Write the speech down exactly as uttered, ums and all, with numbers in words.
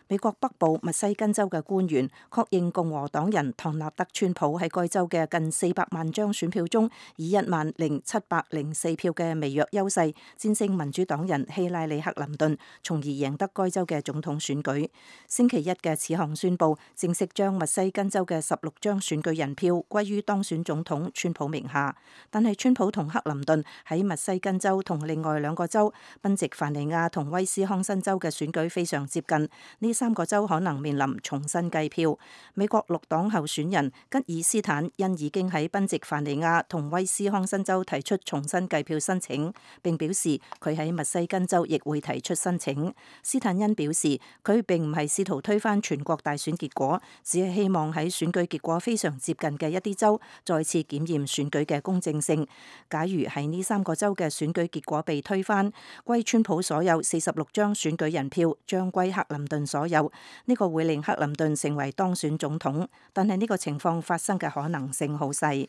美國北部密西根州嘅官員確認共和黨人唐納德川普喺該州嘅近四百萬張選票中，以一萬零七百零四票嘅微弱優勢戰勝民主黨人希拉里克林頓，從而贏得該州嘅總統選舉。星期一嘅此項宣佈，正式將密西根州嘅十六張選舉人票歸於當選總統川普名下。但係川普同克林頓喺密西根州同另外兩個州賓夕凡尼亞同威斯康辛州嘅選舉非常接近，呢三個州可能面臨重新計票。美國綠黨候選人吉爾斯坦因已經喺賓夕凡尼亞同威斯康辛州提出重新計票申請，並表示佢喺密西根州亦會提出申請。斯坦恩表示，佢並唔係試圖推翻全國大選結果，只係希望喺選舉結果非常接近嘅一啲州再次檢驗選舉嘅公正性。假如喺呢三個州嘅選舉結果被推翻，歸川普所有四十六張選舉人票將歸克林頓所有，呢個會令克林頓成為當選總統，但係呢個情況發生嘅可能性好細。